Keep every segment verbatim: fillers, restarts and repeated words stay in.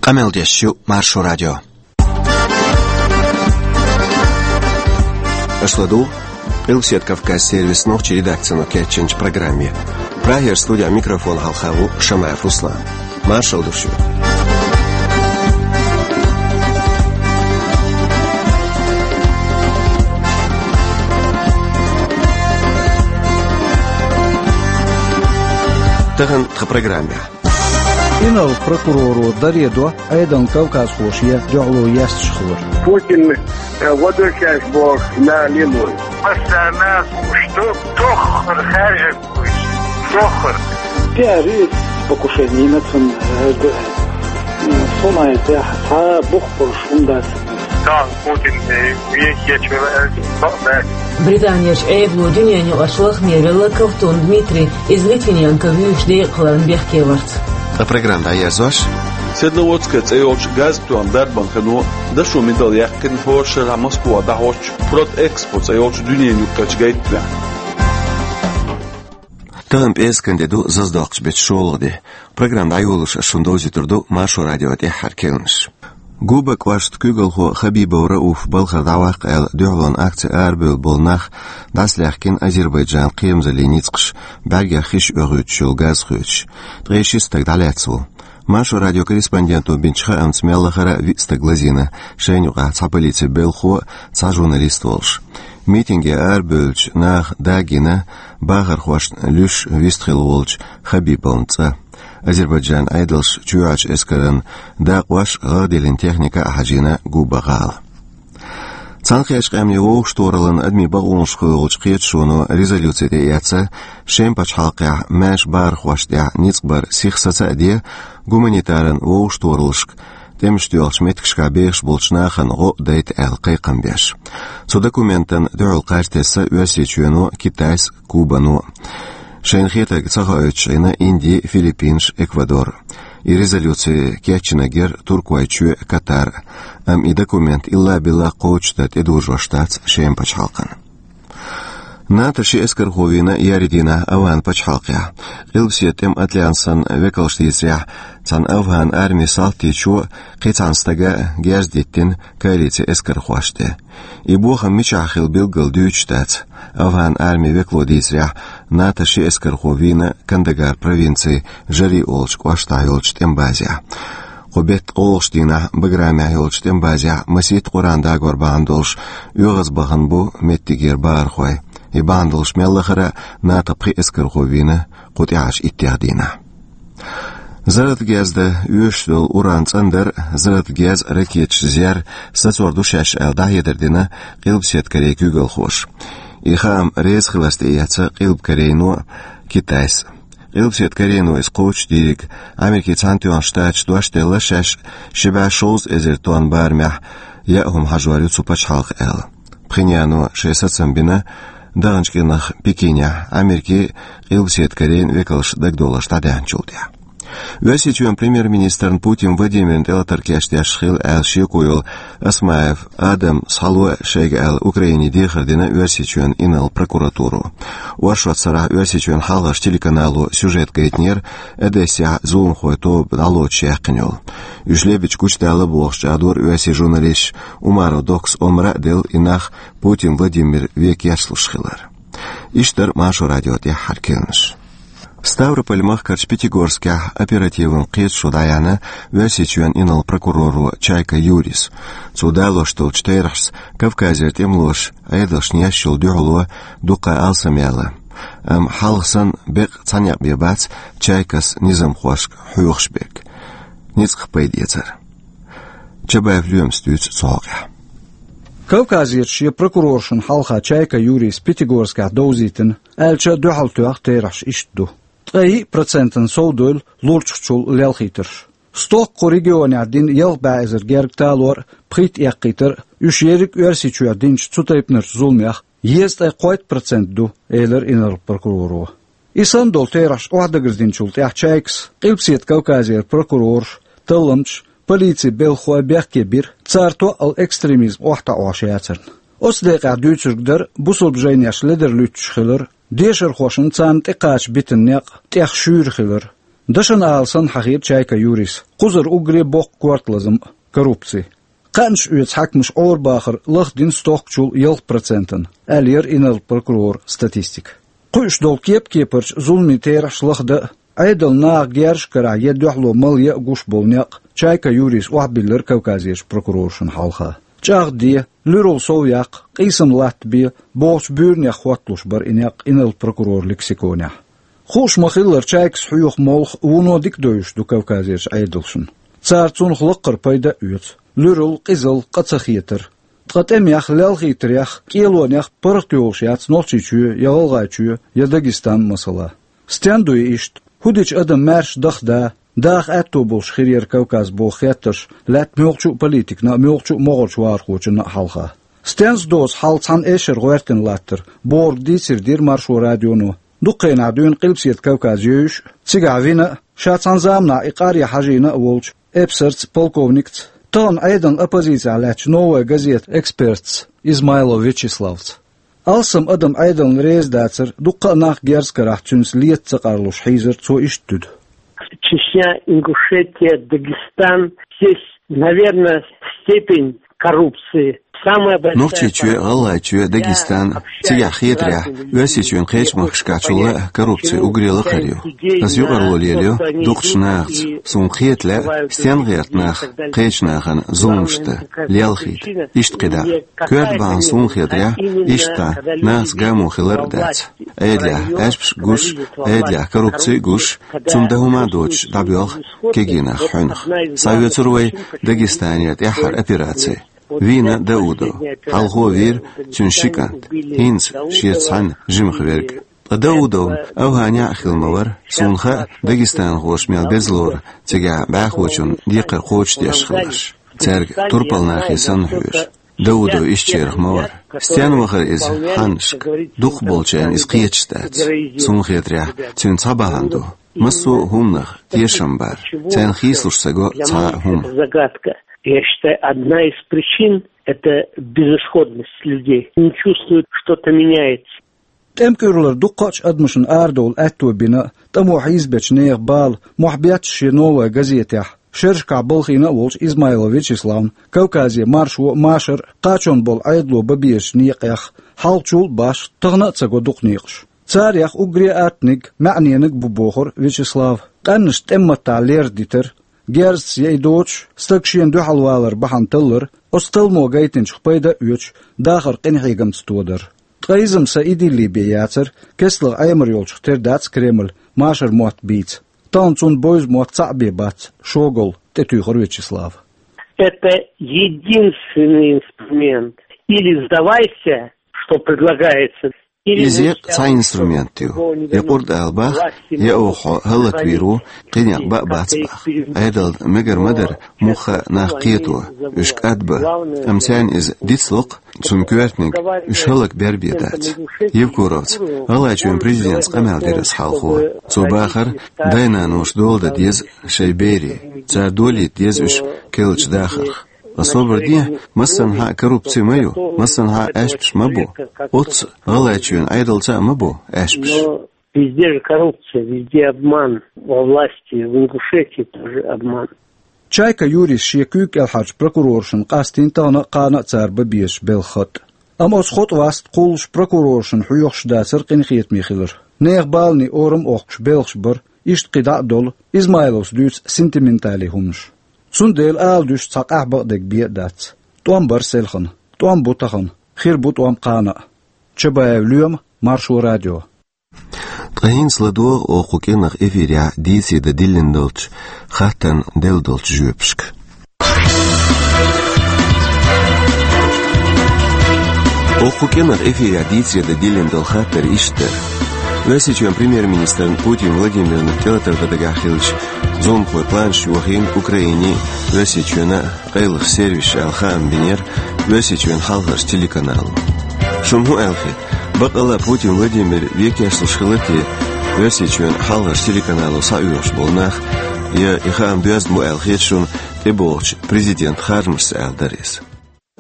Къамел деш ю Маршо радио. Аша ладугӀу Къилбаседа Кавказ сервисан нохчийн редакцино кечйинчу программе. Прагера студин микрофона хьалха ву Шамаев Руслан. Маршалла ду шуьга. Тахана тхан программехь. Инарла прокуроро даре до Ӏедална кавказхоша еш дуьхьало есташ хилар. Путин, э, возвращайся, бог, на Лилу. Постоянно, что тоххар хаьржина вуьйцу. Тоххар. Терроризм, покушение на цун, э, д-, э, сумай тӀехь цхьа бухбурш хӀума дац. Тахана Путин, э, вехь ечвелла, э, бакъ дац. Британерчу Ӏедало дуьненаюкъарчу лахаме велла Ковтун Дмитрий, иза Литвиненко вуьйш декъахь хиларна бехке варца. Ткъа программа дӀаерзош. Седловодская цӀе йолчу газа тоьхна дарбан хино дашо мидал яьккхина хӀора шарахь Москвахь дӀахьочу Протэкспо цӀе йолчу дуьненаюкъарчу гайтамехь. Тахана пӀераскан де ду, зазадоккхучу беттан шолгӀа де. Программа дӀайолош ас шуна довзуьйтур ду Маршо радион тӀаьххьара керланаш. Губа кӀоштан куьйгалхо Хабибов Рауф балхара дӀаваккха аьлла дуьхьалонан акци арабевлла болу нах дӀасалаьхкина Азербайджанан кхерамзаллин ницкъаша, бӀаьргех хиш оьхуьйтуш йолу газ хоьцуш. Ткъе шийтта стаг дӀалаьцна ву. Маршо радион корреспонденто бинчу хаамца, мел лахара а виъ стаг лазийна, шайна юкъахь цхьа полицин белхахо а, цхьа журналист а волуш. Митинге арабевллачу наха дагийна бахархошна луьйш вистхилла волчу Хабибовн цӀа. Азербайджанан Ӏедалша чоьхьарчу эскаран дакъош а, гӀагӀ диллина техника а хьажийна Губа гӀала. Цхьаьнакхеттачу Къаьмнийн Вовшахтохараллин адамийн бакъонаш кхоьлучу кхеташоно резолюци тӀеэцна, Шеман пачхьалкхехь маьрша бахархошна тӀехь ницкъ бар сиха саца а де, гуманитаран вовшахтохараллашка тӀемаш доьлхучу меттигашкахь бехаш болчу нахана гӀо а дайта аьлла кхайкхам беш. Цу документана дуьхьал кхаж тесна Оьрсийчоьно а, Китайс а, Кубано а. Шайна хетарг ца хоуьйтуш Ӏийна Инди, Филиппинаш, Эквадор. И резолюци кечйинарг яра Туркойчоь а, Катар а. Амма и документ илла-билла кхочушдан тӀедожош дац Шеман пачхьалкхана. НАТО ши эскархо вийна еарин дийнахь Афган пачхьалкхехь. Къилбаседа тӀеман альянсан векалша дийцарехь, цхьана Афган армин салтичо а, кхин цхьана стага а герз диттина коалицин эскархошна тӀе. И бохам мичахь хилла билггал дуьйцуш дац. Афган армин векало дийцарехь, НАТО ши эскархо вийна Кандагар провинцин Жари олучу кӀоштахь йолчу тӀеман базехь. Кху беттан кхоалгӀачу дийнахь Баграмехь йолчу тӀеман базехь масийтта Къуръан дагор бахьана долуш оьгӀазбахана бу меттигера бахархой. И бахьана долуш мел лахара а НАТО пхи эскархо вийна кху тӀаьхьарчу иттех дийнахь. Зарратан гезда оьшуш долу уран цӀандар а, зарратан гез а ракеташ зер а сацор ду шаьш аьлла, дӀахьедар дина Къилбаседа Корейн куьйгалхоша. И хаам реза хиларца тӀеэцна Къилба Корейно а, Китайс а. Къилбаседа Корейно иза кхочушдийриг Америкин Цхьаьнатоьхначу Штаташа дош делла, шаьш ши бӀе шовзткъа эзар тонн барамехь яа хӀума хьажор ю цу пачхьалкха аьлла. Пхеньяно шайн сацам бина даханчу кӀиранах Пекинехь Америкин а, Къилбаседа Корейн а векалш дагадовларш дӀадаьхьначул тӀаьхьа. Оьрсийчоьнан премьер-министрна Путин Владимирна тӀелатар кечдеш хилла аьлла шеко йолу Осмаев Адам схьало шайга аьлла Украине дехар дина Оьрсийчоьнан инарла прокуратуро. Оршот сарахь Оьрсийчоьнан хьалхарчу телеканало сюжет гайтинера Одессехь зуламхойн тоба дӀалоцуш яьккхина йолу. Уьш лебича гучудалла бохуш чӀагӀдора оьрсийн журналисташа, Умаров Доккас омра а делла, и нах Путин Владимир вен кечлуш хилар. Иштта дара Маршо радион тӀаьххьара керланаш. Ставрополь-махкарчу Пятигорскехь оперативан кхеташо дӀаяьхьна Оьрсийчоьнан инарла прокуроро Чайка Юрийс. Цо далош долчу терахьашца Кавказера тӀемалоша Ӏедалшна еш йолу дуьхьало дуккха алсамъяьлла. Амма хьалха санна беккъа цхьа некъ бен бац Чайкас низамхошка хьоьхуш берг. Ницкъах пайдаэцар. Чабаев Лоьмас дуьйцу цу хьокъехь. Кавказерчу шен прокуроршна хьалха Чайка Юрийс Пятигорскехь довзийтина, аьлча дуьхьал тоьхна терахьаш иштта ду. Ткъе йиъ процентана совдевлла лурчахчул лелхийтарш. Стохка кху регионехь дина ялх бӀе эзар гергга талор а, пхийтта эккхийтар а, уьш ерриг Оьрсийчохь динчу цу тайпанарчу зуламех езткъе кхойтта процент ду, элира инарла прокуроро. И санна долу терахьаш охьадагардинчул тӀаьхьа Чайкас Къилбаседа Кавказера прокурораш, талламчаш, полицин белхахой бехке бира, цара тоъал экстремизм охьатаӀош яцарна. Оцу декъехь дуьйцург дара бусалба жайнеш ледарлуьттуш хилар, дешархошна царна тӀекхача битина некъ тӀех шуьйра хилар, Дашан ала санна хьахийра Чайка Юрийс, кхузара уггаре боккха корта лазам а — коррупци. Кхаьнаш оьцу хьаькамаш Ӏорабахар лахдина стохкачул ялх процентана, аьлла яра инарла прокурора статистика. Кхуьуш долу кеп-кепарчу зуламийн терахьаш лахдан а, Ӏедална наха герзаш карахь я дуьхьало мала ян а гуш болу некъ Чайка Юрийс охьабиллира Кавказерчу прокуроршна хьалха. ЧӀагӀде, луьралла сов яккха, къийсам латтабе бохучу буьйранех хӀотталуш бара и некъ инарла прокурора лексиконехь. Хууш ма-хиллара, Чайкас хьоьху молха вуно дика девзаш ду Кавказерчу Ӏедалшна. Цара цунах лаккхара пайда а оьцу: луьралла, къизалла, къа ца хетар. Ткъа тӀемех, лелхийтарех, кӀелонех паргӀат йолуш яц Нохчийчоь я ГӀалгӀайчоь я Дагестан, масала. Стен ду и иштта? ХӀун дича адам маьрша даха да, даха аьтто болуш хир яра Кавказ боху хеттарш лаьтта муьлххачу а политикна а, муьлххачу а могӀарчу вахархочунна а хьалха? Стенца доцу хьал цхьана эшшара гӀоьртина латтара, бохург дийцар дира Маршо радионо. Дукха хенахь дуьйна Къилбаседа Кавказ евзаш а, цигахь вина а, ша цхьана заманахь и къаръян хьажийна а волчу эпсарца, полковникца, тахана Ӏедална оппозицехь лаьттачу «Новая газета» экспертца Измайлов Вячеславца. Алсам адам Ӏедална реза дацар, дуккха а нах герз карахь цуьнца лета ца къарлуш хьийзар цо иштта туьду. Чечня, Ингушетия, Дагестан. Здесь, наверное, степень коррупции самая большая. Нохчийчоь, ГӀалгӀайчоь, Дагестан, цигахь хетарехь, Оьрсийчоьнан кхечу махкашкахь чул а коррупци уггаре лакхара ю. Ас юкъарло лелайо дукхачу нахаца, суна кхета лаьа, стен гӀерта нах кхечу нахана зуламаш дан, лелхийта, иштта кхидӀа. Коьрта бахьана суна хетарехь, иштта нахаца гамо хилар а дац. Ӏедалехь Ӏаьшпаш гуш, Ӏедалехь коррупци гуш, цунна дан хӀума доцуш дӀабоьлху кегий нах хьуьнах. Схьаоьцура вай Дагестанера тӀаьххьара операци. Вийна Даудов. Хьалхо вийра цуьнан ши кӀант, хӀинца шеца цхьаьна жимах верг. Ткъа Даудовна Афганехь а хилла ма вара, суна хаьа, дагестанхоша мел беза лору цигахь бӀаьхочунна декхар кхочушдеш хиларш, цаьрга турпал нахе санна хьоьжу. Даудов ишттачарах ма вара. Стенна вахара иза хьаннашка? Дукхахболчарна иза кхеташ дац. Суна хетарехь, цуьнан цхьа бахьана ду: массо а хӀуманах тешам бар, царна хийцалуш ца го цхьа а хӀума. Загадка. Я считаю, одна из причин — это безысходность людей. Не чувствуют, что-то меняется. ТӀемкуьрлара дуккхачу адамашна арадовла аьтто бина а, тӀамо хьийзабечу нехан бала мохь бетташ шен «Новая газетехь», шерашкахь балхийна а волчу Измайлов Вячеславна, Кавказе маршо а, машар а, кхачонна болу Ӏедало бан безачу некъех, хьалхачул а башха, тахана а ца го дукха некъаш. Царех уггаре а аттаниг, маьӀнениг а бу, бохура Вячеслава. Къаьннашна тӀеман маттахь лердитар, герзаца я и доцуш, стаг шена дуьхьалвалар бахьана таллар, оцу талламо гайтинчух пайда а оьцуш, дахар къинхьегамца тодар. Ткъа иза-м са идиллий бен яцара, кестлагӀа Ӏемар йолчух тера дац Кремль машар мотт бийца. Тахана цунна бевза мотт цхьаъ бен бац, шогалла, тӀетуьйхира Вячеслава. Это единственный инструмент. Или сдавайся, что предлагается, или... Иза я цхьа инструмент ю. Я къурд ала бах, я оха хьо хӀаллаквийр ву, кхин некъ бан а бац бах. Ӏедална мегар ма дара муьлхха а нах кхето, уьш кӀадбан. Амма царна иза дицло-кх, цунна коьртаниг уьш хӀаллакбер бен дац. Евкуровца, ГӀалгӀайчоьнан президентца къамел дира аса хьалхо. Цо бахара, дай-наноша дола дан деза шайн берийн, цара долийта деза уьш керлачу дахарх. Ткъа собар де, массанхьа а коррупци ма ю, массанхьа а аьшпаш ма бу. Оццу ГӀалгӀайчоьнан Ӏедалца а ма бу аьшпаш. Но везде же коррупция, везде обман. Во власти, в Ингушетии тоже обман. Чайка Юрийс шен куьйга кӀелхьарчу прокуроршна къастийна тахана а, кхана а цара бан безачу белхан хатӀ. Амма оцу хотӀа васт кхуллуш прокуроршна хьоьхуш дацара къинхетаме хилар. Нехан баланийн орам а оккхуш белхаш бара, иштта кхидӀа а долу, Измайловс дуьйцу сентиментале хӀуманаш. Цундела ала дуьсу цхьа къаьхьа бакъдерг бен а дац. ТӀом бара селхана, тӀом бу тахана, хир бу тӀом кхана а. Чабаев Лоьма, Маршо радио. Ткъа хӀинца ладогӀа оха кху кӀиранах эфирехь дийцаре дан диллина долчу хаттарна делла долчу жоьпашка. Оха кху кӀиранах эфирехь дийцаре дан диллина долу хаттар иштта дара. Оьрсийчоьнан премьер-министрна Путин Владимирна тӀелатар дан дагахь хиллачу зуламхойн планаш йохийна Украинин а, Оьрсийчоьнан а къайлах сервисаша аьлла хаам бинера Оьрсийчоьнан хьалхарчу телеканало. Шуна хӀун аьлла хета? Бакъалла Путин Владимир векешлуш хилла те Оьрсийчоьнан хьалхарчу телеканало схьаоьхуш болу нах, я и хаам доьзна бу аьлла хета шуна тӀебогӀучу президентан харжамашца аьлла дара иза.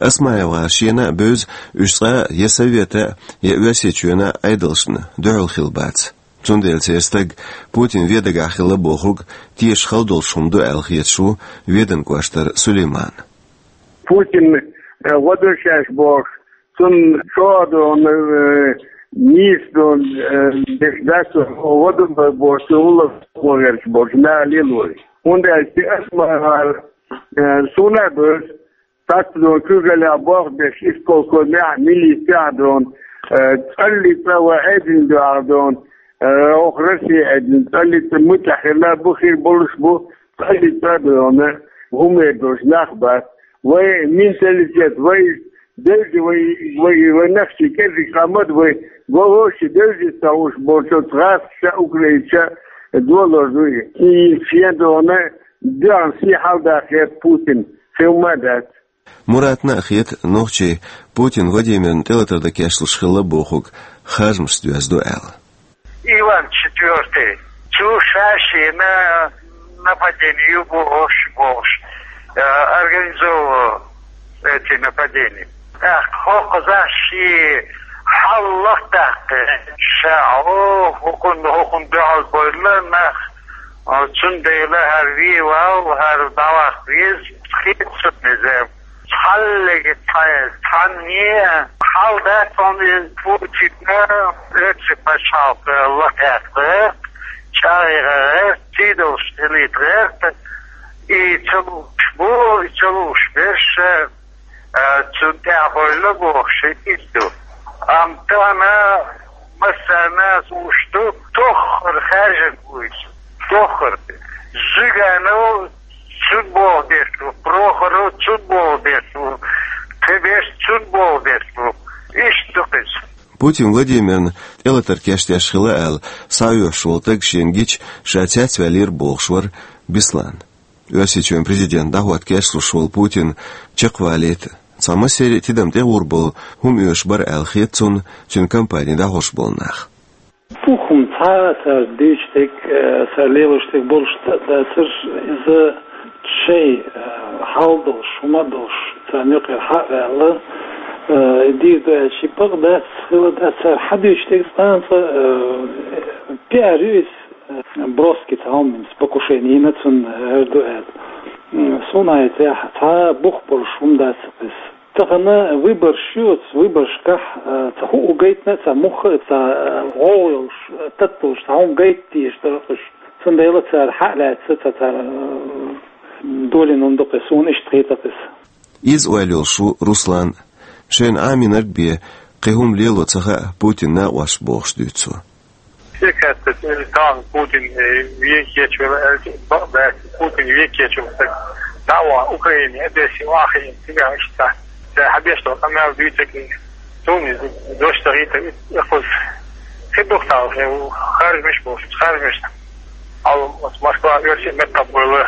Осмаев-гӀара шена а бевза уьш цкъа а я Совета а, я Оьрсийчоьнан а Ӏедалшна дуьхьал хилла бац. Цундела церан стаг Путин вен дагахь хилла бохург теша хала долуш хӀума ду аьлла хеташ ву Веданан кӀоштара Сулейман. Путин, э, гӀо ду шаьш бохуш, цунна чӀогӀа ду, э, нийса ду, э, деш дац, гӀо ду бохуш, цунна гӀуллакх гӀо верш болчу наха лелорий. ХӀунда аьлча аса ма-, э, суна а бевза, цхьацца ду куьйгаллехь болх беш, исполкомехь, милицехь ду, э, цӀалли цӀа вай Ӏедална дуьхьал ду, э, оха Россия Ӏедална, цӀалли цӀа муьтӀахь хилла бу, хир болуш бу, цӀалли цӀа ду, хӀума эр долуш нах бац. Вай менталитет, вай девзи, вай, вай, вай нахчий кӀезиг къамат, вай гӀо-гӀо ши девзи ца хууш болчу гӀазкхаша, украинца долор ду и. И шен дона дуьхьал сий хьалдаккха хета Путин, хи хӀума дац. Муратна а хета нохчий Путин Владимирна тӀелатар дан кечлуш хилла бохург харжамашца доьзна ду аьлла. Иван Четвёртый. Цу ша шена нападение ю бохуш, бохуш, э, организовывал эти нападения. ТӀаккха хӀокхузахь шен хьал лахтаккха, ша, о, хӀокхунна, хӀокхунна дуьхьал бойла нах, а, цундела хӀара вен вал, хӀара дӀаваккха веза, хетта ца веза. Цхьаллига цхьа-, цхьанне хьал дац хьуна иза Путинна, оьрсийн пачхьалкх лакхаьхна гӀерта, чӀагӀъян гӀерта, сий долуш хилийта гӀерта, и ца лууш бу, и ца лууш берш, а, цунна тӀехь бевлла бохуш, иза ду. Амма тахана массарна а лууш ду, тоххара хаьржина вуйла, тоххара. Зиганов цунна боху деш ву, Прохоров цунна боху деш ву, кхин берш цунна боху деш ву. Иштта ду-кх иза. Путин Владимирна тӀелатар кечдеш хилла аьлла, схьаоьхуш волу стаг шена гича, ша цецваьллера бохуш вара Беслан. Оьрсийчоьнан президент дӀахӀотта кечлуш волу Путин чекхвалийта, цхьа массеран а тидам тӀегӀур болу хӀума оьшуш бара аьлла хета цунна, цуьнан кампани дӀахьош болу нах. Буххум цхьа а цара дуьйцуш дерг, э, цара лелош дерг болуш дан а дацара, иза шайн, э, хьал долуш, хӀума а долуш, царна юкъера хьа а ваьлла, э, дийр ду аьлча, бакъ дац, хила дац, цара хьан дуьйцуш дерг цкъа а, э, пиар ю иза, э, броски цхьа хӀума, покушение йина цунна, э, хӀара ду аьлла. М, суна хетарехь, цхьа бух болуш хӀума дац иза. Тахана выбораш ю, оцу выборашкахь, а, цхьа хӀуъу гайтина а, цхьа мухха а, цхьа, а, гӀовгӀа йолуш, а, татталуш, цхьа хӀума гайта дезаш дара уьш. Цундела цара хьа а лаьцна, цхьа цара, а, долийна хӀума ду-кх иза, суна иштта хета-кх иза. Иза ойла йолуш ву Руслан. Шайна Ӏамийнарг бен, кхин хӀума лело ца хаьа Путинан накъосташна бохуш дуьйцу цо. Стаг хаьттира, тахана Путин, э, вен кечвелла аьлча, бакъ дац, Путин вен кечвелла стаг дӀа а вахана, Украине, Одессе вахийна, цигахь иштта, ша хьан беш долу къамел дуьйцург, суна иза дош ца хийтира, и кхуза хи духтал, э, харжамаш болуш, харжамаш. Хьал оцу Москва оьрсийн меттахбойла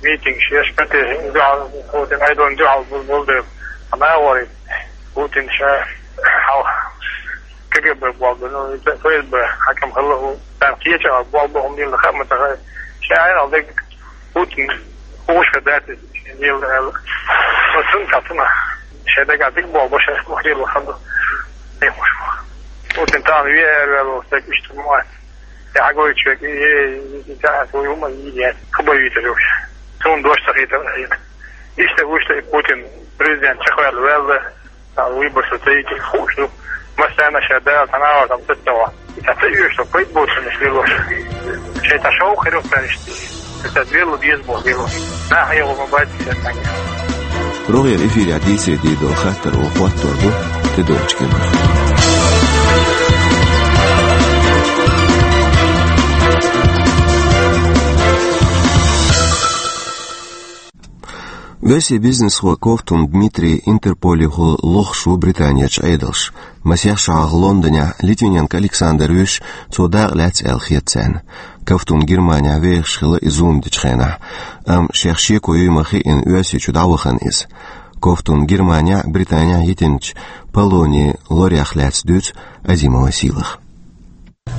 митингаш еш, Путин дуьхьал, Путин Айдон дуьхьал бу-, болу дела, хьан агӀор Путин ша хьал КГБ болу, ну, ФСБ хьаькам хилла хӀу. Царна кхеча а болу боху мила хаа ма ца хаьа. Ша айхьа дерг Путин хууш хир дац иза, мила аьлла. Ну, цунна ца цунна. Шайн дагахь дика болу бо, шайн мухлила ханду. Тхуш бу. Путин тахана вен эр ваьлла стаг иштта ма вац. Я хьагойтуш верг, э, э, э, э, хӀума, э, э, хӀума вийцар уьш. Суна дош ца хийтира, э, иштта вуьшта и Путин президент чекхваьлла ваьлла. Цхьа выбораш ца йитира хууш ду. Массарна ша Дала цхьана агӀор там ца ца ван. И цхьа ца оьшу, пайда боцурш лелош. Шайн цхьа шовкъ хир ю-кх царна иштта. Иза велла беза боху велла. Нах хьехо ма бац иза цхьаьнгге. РогӀера эфирехь дийцаре дийр долу хаттар вай хӀоттор ду тӀедогӀучу кепара. Оьрсийн бизнесхо Ковтун Дмитрий Интерполехула лохуш ву Британерчу Ӏедалша. Масех шо хьалха Лондонехь Литвиненко Александр вуьйш, цо дакъа лаьцна аьлла хета царна. Ковтун Германехь вехаш хилла и зулам дечу хенахь, амма шех шеко юй ма хиъна, Оьрсийчу дӀавахана иза. Ковтун Германехь а, Британехь а йитинчу Полонин лорах лаьцна дуьйцу Азимова Сийлаха.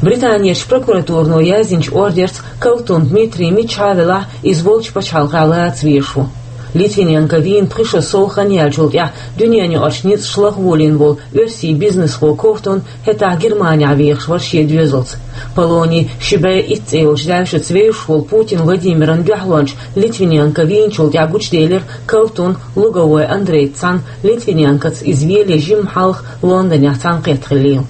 Британерчу прокуратуро яздинчу ордерца Ковтун Дмитрий миччахьа а велахь, иза волчу пачхьалкхехь лаца везаш ву. Литвиненко вийна пхи шо сов хан яьллачул тӀаьхьа дуьненаюкъарчу ницкъаша лахволийна волу оьрсийн бизнесхо Ковтун хӀетахь Германехь вехаш вара шен доьзалца. Полони ши бӀе итт цӀе йолчу даьвшица вевзаш волу Путин Владимиран дуьхьалонча Литвиненко вийначул тӀаьхьа гучуделира Ковтун Луговой Андрейца цхьаьна Литвиненкоца иза веле жимма хьалха Лондонехь цхьаьнакхетта хиллийла.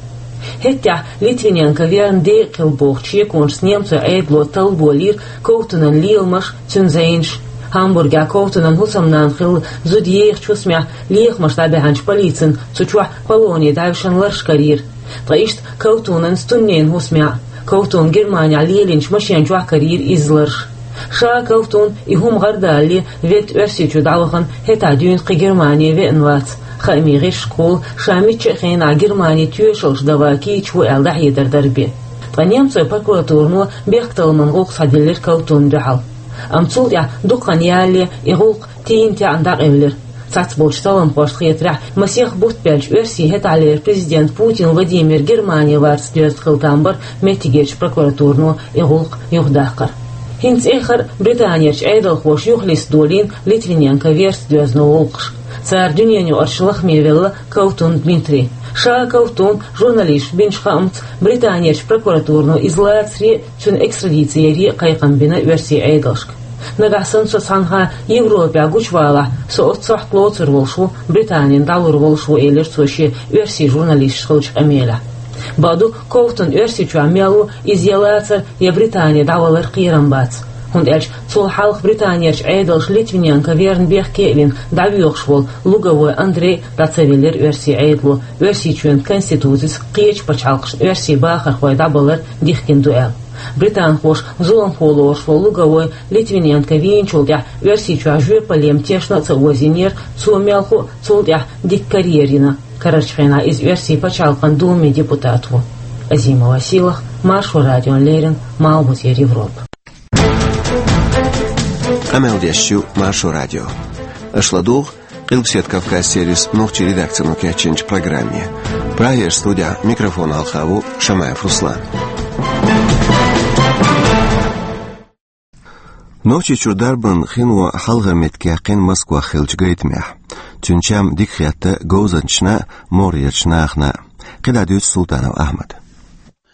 ХӀеттехь Литвиненко верна декъа хилла бохучу шеконашца немцойн Ӏедало талла болийра Ковтунан леламаш, цуьнан зӀенаш. Гамбургехь Ковтунан хӀусамнана хилла зуда ехачу хӀусамехь лехамаш дӀабаьхьначу полицина цу чохь Полони даьвшина лараш карийра. Ткъа иштта Ковтунан стунненан хӀусамехь, Ковтун Германехь лелийначу машен чохь карийра иза лараш. Ша Ковтун и хӀума гӀардалале ведда Оьрсийчу дӀавахана хӀетахь дуьйна кхин Германе веана вац. Хаамийн гӀирсашкахула ша мичча а хенахь Германе тоьшаллаш дан ван кийча ву аьлла дӀахьедар дара бен. Ткъа немцойн прокуратурано бехктакхаман гӀуллакх схьадиллира Ковтунна дуьхьал. Амма цул тӀаьхьа дукха хан ялале и гӀуллакх тийна-теӀна дӀакъевлира. Цхьацболчу талламхошна хетарехь, масех бутт баьлча Оьрсийн хӀетахьлера президент Путин Владимир Германе варца доьзна хила там бара меттигерчу прокуратурано и гӀуллакх юхадаккхар. ХӀинца эххар а Британерчу Ӏедалхоша юхалиста долийна Литвиненко верца доьзна гӀуллакхаш. Цара дуьненаюкъарчу лахаме велла Ковтун Дмитрий. Ша Ковтун журналисташка бинчу хаамца, Британерчу прокуратурано иза лацаре а, цуьнан экстрадици яре а кхайкхам бина Оьрсийн Ӏедалшка. Нагахь санна со цхьанхьа Европехь гучувалахь, со оццу сохьта лоцур волуш ву, Британина дӀалур волуш ву, элира цо шен оьрсийн журналисташка хиллачу къамелехь. Бакъду, Ковтун Оьрсийчохь мел ву, иза я лацар, я Британе дӀавалар кхерам бац. ХӀунда аьлча цул хьалха Британерчу Ӏедалша Литвиненко верна бехке а вина дӀавоьхуш волу Луговой Андрей дӀа ца виллира Оьрсийн Ӏедало, Оьрсийчоьнан конституцица кхечу пачхьалкхашна оьрсийн бахархой дӀабалар дихкина ду аьлла. Британхоша зуламхо лоруш волу Луговой Литвиненко вийначул тӀаьхьа Оьрсийчохь жоьпалле тешна а ца озийнера, цо мелхо а цул тӀаьхьа дика карьера йина. Карарчу хенахь иза Оьрсийн пачхьалкхан Думин депутат ву. Азима Василах, Маршо радиона леррина, Малхбузера Европа. Къамел деш ю Маршо радио. Аша ладугӀу Къилбаседа Кавказ сервисан нохчийн редакцино кечйинчу программе. Прагера студехь микрофон хьалха ву Шамаев Руслан. Нохчийчуьра дарбан хино хьалхара меттиг яьккхина Москвахь хиллачу гайтамехь. Цуьнан чам дика хетта говзанчашна а, могӀарерчу нахана а. КхидӀа дуьйцу Султанов Ахьмада.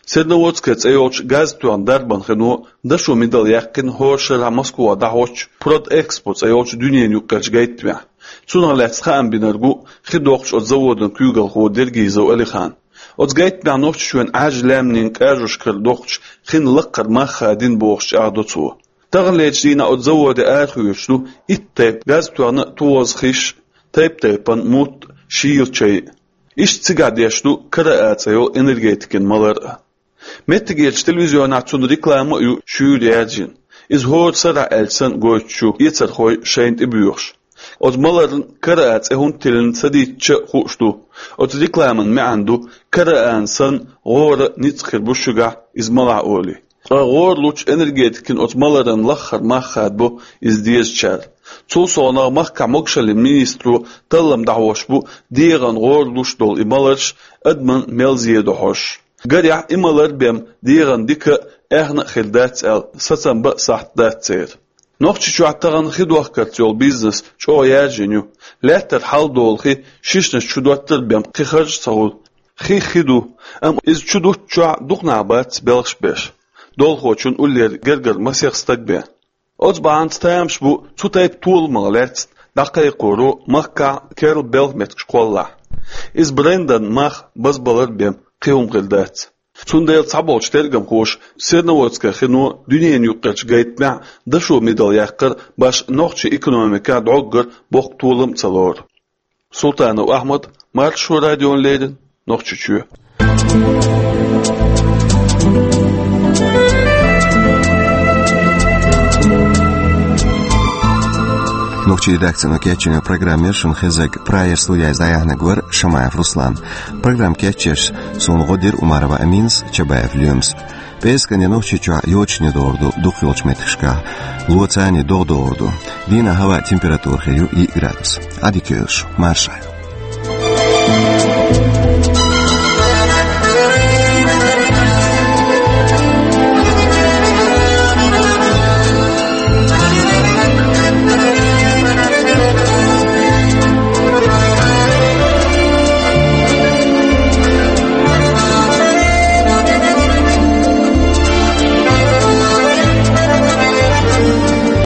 Серноводская цӀе йолчу газа тоьхна дарбан хино дашо мидал яьккхина хӀора шарахь Москвахь дӀахьочу Продэкспо цӀе йолчу дуьненан юккъерчу гайтамехь. Цунах лаьцна хаам бинарг ву хи дохкучу оцу заводан куьйгалхо Дергизов Алихан. Оцу гайтамехь Нохчийчоьнан Ӏаьржа лаьмнийн кӀажошкара дохкучу хин лакхара мах хадийна бохуш чӀагӀдо цо. Таханлерчу дийнахь оцу заводе арахоьцуш ду итт тайпа газа тоьхна тӀоза хиш, тайп-тайпана мутт, шийла чай. Иштта цигахь деш ду КРА цӀе йолу энергетикин малар а. Меттигерчу телевизионехь цуьнан реклама а ю шуьйра яьржина. Иза хӀора сарахь аьлча санна гойтуш ю эцархой шайна тӀебоьхуш. Оцу маларна КРА цӀе хӀунда тиллина ца дийцча а хууш ду. Оцу рекламан маьӀна ду, КРА-н санна гӀора ницкъ хир бу шуьгахь иза малахь олий. Ткъа гӀора лучу энергетикин оцу маларан лаххара мах хадабо иза дезачара. Цул совнаха махкахь могушаллин министро таллам дӀахьош бу дегӀан гӀора луш долу и маларш адаман мел зен до хьожуш. Гарехь, и малар бен дегӀан дика а, аьхна а хир дац аьлла, сацам бан а сахьт дац церан. Нохчийчохь тахана хи дохкарца йолу бизнес чӀогӀа яьржина ю. Лаьттара хьал долу хи шишнаш чу доттар бен кхин харж ца хуьлу. Хи хи ду, амма иза чу дуттучохь дукха нах бац белхаш беш. Долхочун уллера гергара масех стаг бен. Оцу бахьанца тамаш бу цу тайпа толамах лаьцна дӀакхайкхоро махкахь керла белхан меттигаш кхоллахь. Иза брендан мах базбалар бен кхин хӀума хир дац. Цундела цхьаболчу тергамхоша Серноводская хино дуьненан юккъерчу гайтамехь дашо мидал яккхар башха нохчийн экономикехь дӀоггара боккха толам а ца лору. Султанов Ахьмад, Маршо радиона леррина, Нохчийчоь. Нохчийн редакцино кечйина программа яра шуна хезнарг, Прагера студехь иза дӀаяьхьнарг вара Шамаев Руслан. Программа кечъеш суна гӀо дира Умарова Аминас, Чабаев Лоьмас. ПӀераскан де Нохчийчохь йочане догӀур ду дукхахйолчу меттигашкахь, лоцане догӀа догӀур ду. Дийнахь хӀаваан температура хир ю йиъ градус. Ӏадика йойла шу, марша Ӏойла.